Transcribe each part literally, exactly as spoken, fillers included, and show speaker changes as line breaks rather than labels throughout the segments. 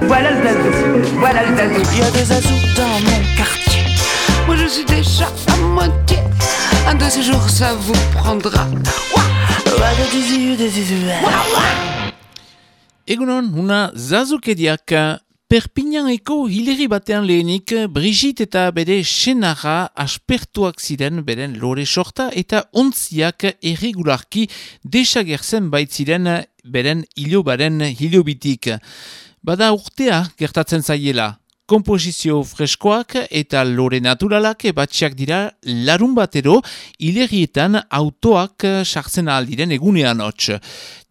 Voilà le zazou, voilà le zazou.
Il y a des zazous dans mon quartier. Moi je suis déjà à moitié. Un de ces jours ça vous prendra.
Egunon, una zazukeriak Perpignaneko hilerri batean lehenik Brigitte eta bere senarra aspertuak ziren beren lore sorta eta ontziak erregularki desagertzen baitziren beren hilobaren hilobitik. Bada urtea gertatzen zaiela. Komposizio freskoak eta lore naturalak batxiak dira larun batero hilerrietan autoak sartzen aldiren egunean hots.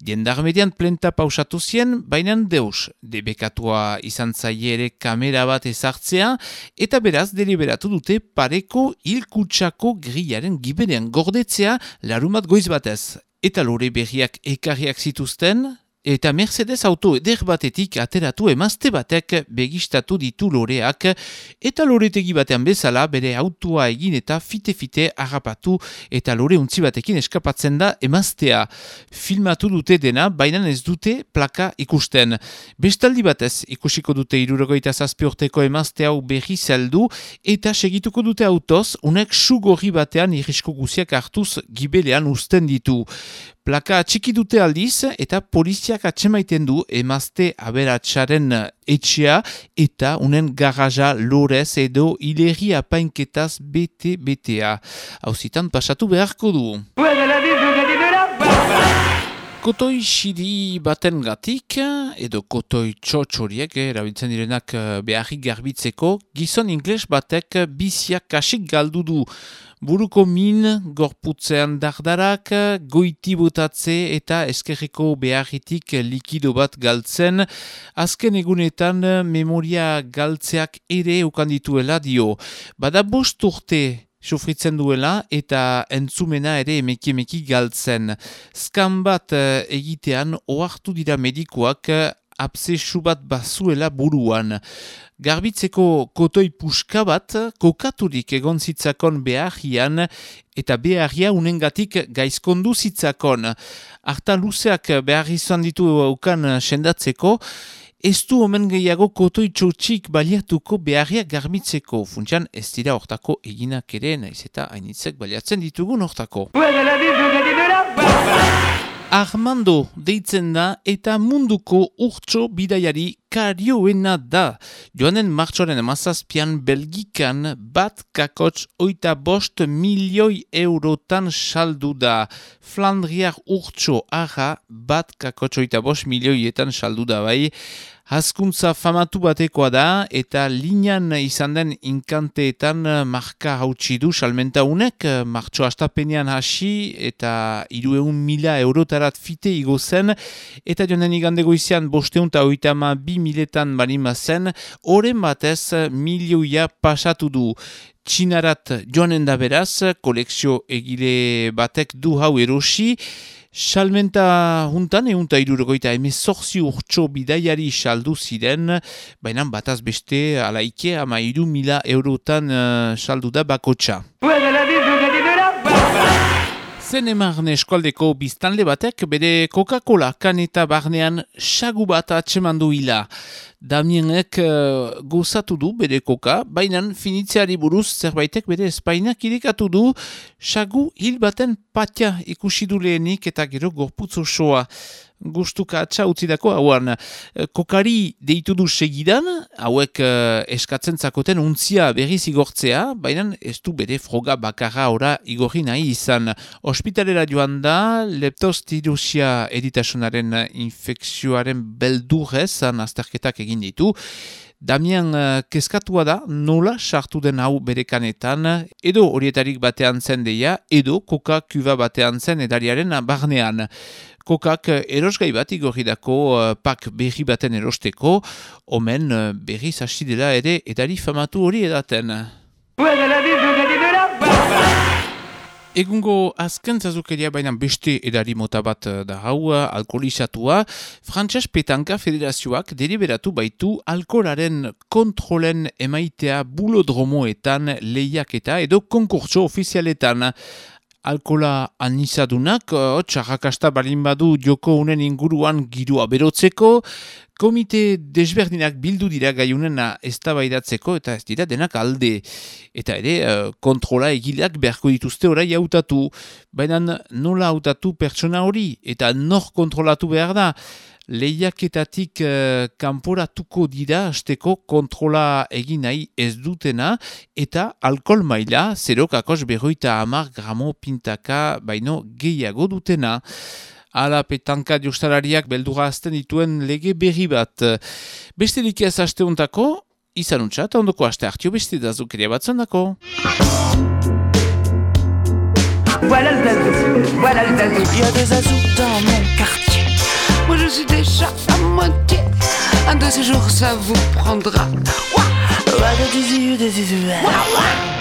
Jendarmedian plenta pausatu zien, bainan deus. Debekatua izan zaie ere kamera bat ezartzea eta beraz deliberatu dute pareko hilkutsako grillaren giberean gordetzea larun bat goiz batez. Eta lore berriak ekarriak zituzten, eta Mercedes auto eder batetik ateratu emazte batek begistatu ditu loreak eta loretegi batean bezala bere autoa egin eta fite-fite harrapatu eta lore untzi batekin eskapatzen da emaztea. Filmatu dute dena, baina ez dute plaka ikusten. Bestaldi batez ikusiko dute hirurogeita zazpi urteko emazte hau berri zeldu eta segituko dute autoz, unek sugorri batean irrisko guziak hartuz gibelean uzten ditu. Plaka txiki dute aldiz eta poliziak atsemaiten du emazte aberatsaren etxea eta unen garaja lorez edo hilerri apainketaz bete-betea. Hauzitan pasatu beharko du. Kotoi xiri baten gatik, edo kotoi txotxoriek, erabiltzen direnak beharrik garbitzeko, gizon ingles batek biziak kasik galdu du. Buruko min, gorputzean dardarak, goiti botatze eta eskerreko beharritik likido bat galtzen, azken egunetan memoria galtzeak ere ukandituela dio. Bada bost urte sufritzen duela eta entzumena ere emeki-emeki galtzen. Skan bat egitean ohartu dira medikoak absesu bat bazuela buruan. Garbitzeko kotoi puska bat kokaturik egon zitzakon beharrian eta beharria unengatik gaizkondu zitzakon. Arta luzeak behar izan ditu aukan sendatzeko, ez du omen gehiago kotoi txotxik baliatuko beharriak garbitzeko. Funtsan ez dira hortako eginak ere, naiz eta hainitzek baliatzen ditugun hortako. Armando deitzen da eta munduko urtso bidaiari karioena da. Joanen martxoren amazazpian Belgikan bat kakotx oita bost milioi eurotan saldu da. Flandriar urtso arra bat kakotx oita bost milioietan saldu da bai. Hazkuntza famatu batekoa da eta linean izan den inkanteetan marka hautsi du salmenta unek, martxo astapenean hasi eta hiruehun mila eurotarat fite igo zen eta joanen igande goizean bosteun eta oita ama bi miletan balima zen, oren batez milioia pasatu du. Txinarat joanen da beraz, kolekzio egile batek du hau erosi, salmenta juntan eunta irurogoita emezortzi urtso bidaiari saldu ziren, baina bataz beste alaike ama iru mila eurotan uh, saldu da bakotxa. Zenemarne eskualdeko biztanle batek bere Coca-Cola kaneta barnean sagu bat atsemandu hila. Damienek uh, gozatu du bere koka, baina finitzeari buruz zerbaitek bere espainak irikatu du, sagu hil baten patia ikusi du lehenik eta gero gorputz osoa. Gustuka atxa utzidako hauan. Kokari deitu du segidan, hauek uh, eskatzen zakoten untzia berriz igortzea, baina ez du bere froga bakarra ora igorri nahi izan. Hospitalera joan da, leptospirosia eritasunaren infekzioaren beldurrez, azterketak egin ditu. Damian uh, keskatua da, nola sartu den hau bere kanetan, edo horietarik batean zen deia, edo koka kuba batean zen edariaren barnean. Kokak erosgai bat igorridako uh, pak berri baten erosteko, omen uh, berriz hasi dela ere edari famatu hori edaten. Egungo azken zazukeria baina beste edari mota bat da hau, alkoholizatua, Frantses Petanka Federazioak deliberatu baitu alkoholaren kontrolen emaitea bulodromoetan lehiaketa edo konkurtso ofizialetan. alkola anisadunak, hotz, arrakasta balin badu joko unen inguruan girua berotzeko, komite desberdinak bildu dira gaiunena eztabaidatzeko eta ez dira denak alde. Eta ere, kontrola egileak beharko dituzte orai hautatu. Baina nola hautatu pertsona hori eta nor kontrolatu behar da? Lehiaketatik uh, kanporatuko dira hasteko kontrola egin nahi ez dutena eta alkohol maila zero kakos berroita hamar gramo pintaka baino gehiago dutena. Ala petanka jostalariak beldura azten dituen lege berri bat. Besterik ez aste hontako, izan untsa eta ondoko aste hartio beste da zukeria bat zondako.
Voilà le zazou, voilà le zazou.
Il y a des azous dans mon quartier. Moi je suis déjà à moitié. Un de ces jours ça vous prendra. Ouah, ouah, ouah, ouah.